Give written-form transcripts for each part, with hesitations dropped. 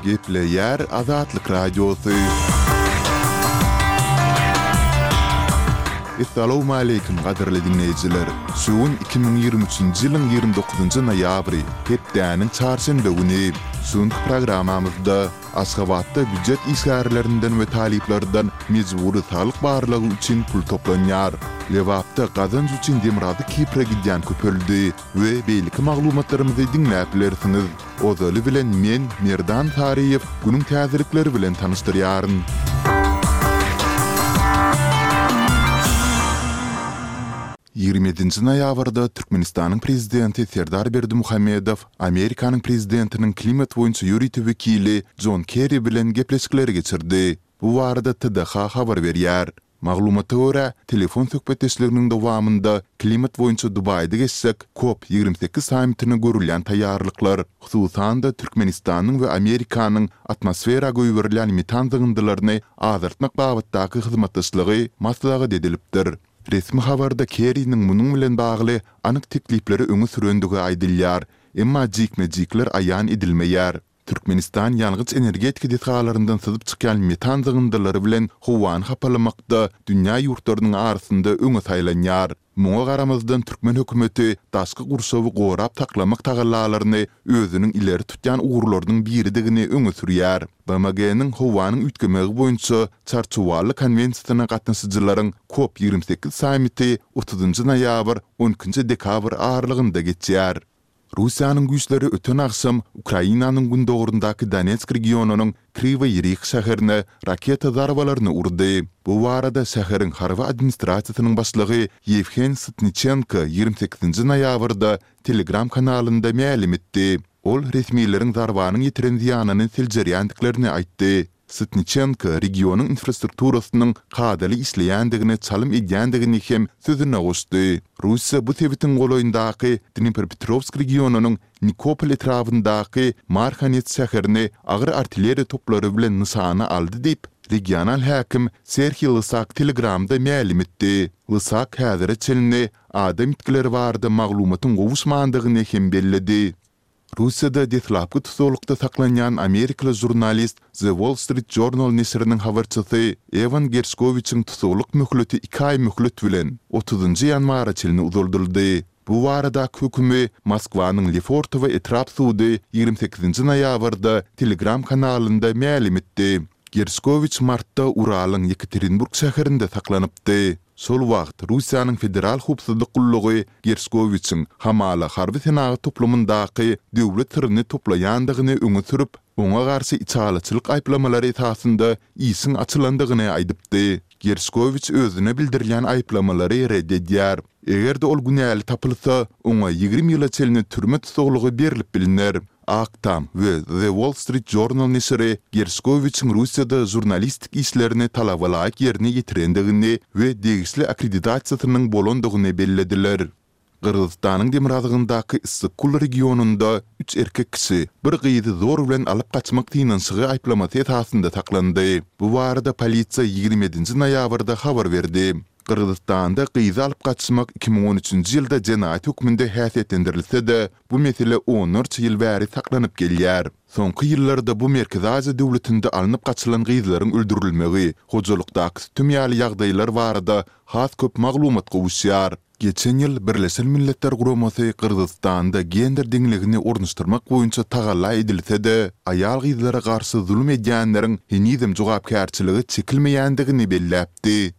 Gepleýär Azatlyk Radiosy. Essalawmaleýkim gadyrly diňleýjiler! Şu gün 2023-nji ýylyň 29-njy noýabry, hepdäniň çarşenbe güni. Şu günki programmamyzda Aşgabatda býujet işgärlerinden we talyplardan mejbury saglyk barlagy üçin pul toplanýar. Lebapda gazanç üçin Demirgazyk Kipre gidýän köpeldi we beýleki maglumatlarymyzy diňläp bilersiňiz. Ozaly bilen men, Merdan Saryýew, günüň täzelikleri bilen tanyşdyrýaryn. 27-nji noýabrda Türkmenistanyň Prezidenti Serdar Berdimuhamedow Amerikanyň Prezidentiniň klimat boýunça ýörite wekili Jon Kerri bilen gepleşikleri geçirdi. Bu barada TDH habar berýär. Maglumata görä, telefon söhbetdeşliginiň dowamynda klimat boýunça Dubaýda geçjek Kop 28 sammitine görülýän taýýarlyklar, hususan-da, Türkmenistanyň we Amerikanyň atmosfera goýberilýän metan zyňyndylaryny azaltmak babatdaky hyzmatdaşlygy maslahat edilipdir. Resmi habarda Kerriniň munuň bilen bagly anyk teklipleri öňe sürendigi aýdylýar, emma jikme-jikler aýan edilmeýär. Türkmenistan ýangyç-energetika desgalaryndan syzyp çykýan metan zyňyndylary bilen howany hapalamakda dünýä ýurtlarynyň arasynda öňe saýlanýar. Muňa garamazdan türkmen hökümeti daşky gurşawy gorap saklamak tagallalaryny özüniň ileri tutýan ugurlarynyň biridigini öňe sürýär. BMG-niň howanyň üýtgemegi boýunça Çarçuwaly konwensiýasyna gatnaşyjylaryň Kop 28 sammiti otuzynjy noýabr, on ikinji dekabr aralygynda geçýär. Russiýanyň güýçleri öten agşam Ukrainanyň gündogaryndaky Donetsk regionynyň Kriwoý Rih şäherine raketa zarbalaryny urdy. Bu barada şäheriň harby administrasiýasynyň başlygy Ýewhen Sytniçenko 28-nji noýabrda Telegram kanalynda mälim etdi. Ol resmileriň zarbanyň ýetiren zyýanyny seljerýändiklerini aýtdy. Sytniçenko regionyň infrastrukturasynyň kadaly işleýändigine çalym edýändigini hem sözüne goşdy. Russiýa bu sebitiň golaýyndaky Dnipropetrowsk regionynyň Nikopol etrabyndaky Marhanets şäherini agyr artilleriýa toplary bilen nyşana aldy diýip, regional häkim Serhiý Lysak Telegramda mälim etdi. Lysak häzire çenli adam ýitgileri barada maglumatyň gowuşmandygyny hem belledi. Russiýada deslapky tussaglykda saklanýan amerikaly žurnalist, The Wall Street Journal neşiriniň habarçysy Ewan Gerşkowiçiň tussaglyk möhleti iki aý möhlet bilen, otuzynjy ýanwara çenli uzaldyldy. Bu baradaky hökümi Moskwanyň Lefortowo etrap sudy 28-nji noýabrda Telegram kanalynda mälim etdi. Gerşkowiç martda Uralyň Ýekaterinburg şäherinde saklanypdy. Şol wagt Russiýanyň Federal howpsuzlyk gullugy Gerşkowiçiň hamala harby-senagat toplumyndaky döwlet syryny toplaýandygyny öňe sürüp, oňa garşy içalyçylyk aýyplamalary esasynda işiň açylandygyny aýdypdy. Gerşkowiç özüne bildirilýän aýyplamalary ret edýär. Eger-de ol günäli tapylsa, oňa 20 ýyla çenli türme tussaglygy berlip bilner. Ak Tam we The Wall Street Journal neşiri Gerşkowiçiň Russiýada žurnalistik işlerini talabalaýyk ýerine ýetirendigini we degişli akkreditasiýasynyň bolandygyny bellediler. Gyrgyzystanyň demirgazygyndaky Issyk-Kul regionynda üç erkek kişi bir gyzy zor bilen alyp gaçmak synanyşygy aýyplamasy esasynda saklandy. Bu barada polisiýa 27-nji noýabrda habar berdi. Gyrgyzystanda gyzy alyp gaçmak 2013-nji ýylda jenaýat hökmünde häsiýetlendirilse-de, bu mesele onlarça ýyl bäri saklanyp gelýär. Soňky ýyllarda bu Merkezi Aziýa döwletinde alnyp gaçylan gyzlaryň öldürilmegi, hojalykdaky sütem ýaly ýagdaýlar barada has köp maglumat gowuşýar. Geçen ýyl Birleşen Milletler Guramasy Gyrgyzystanda gender deňligini ornaşdyrmak boýunça tagalla edilse-de, aýal-gyzlara garşy zulum edýänleriň henizem jogapkärçilige çekilmeýändigini belläpdi.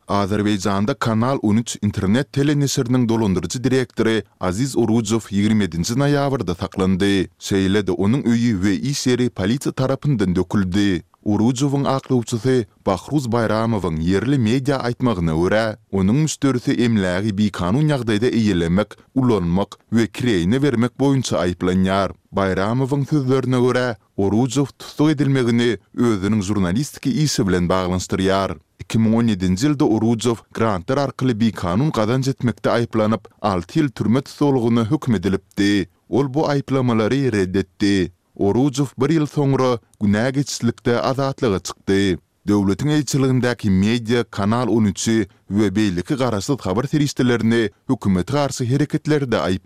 Azerbaýjanda Kanal on üç internet teleneşiriniň dolandyryjy direktory Aziz Orujow 27-nji noýabrda saklandy. Şeýle-de onuň öýi we iş ýeri polisiýa tarapyndan döküldi. Orujowyň aklawçysy Bahruz Baýramowyň ýerli media aýtmagyna görä, onuň müşderisi emlägi bikanun ýagdaýda eýelemek, ulanmak we kireýine bermek boýunça aýyplanýar. Baýramowyň sözlerine görä, Orujow tussag edilmegini özüniň žurnalistiki işi bilen baglanyşdyrýar. 2017-nji ýylda Orujow grantlar arkaly bikanun gazanç etmekde aýyplanyp, alty ýyl türme tussaglygyna höküm edilipdi. Ol bu aýyplamalary ret etdi. Orujow bir ýyl soňra günä geçişlikde azatlyga çykdy. Döwletiň eýeçiligindäki media Kanal on üçi we beýleki garaşsyz habar serişdelerini hökümete garşy hereketlerde aýyplaýar.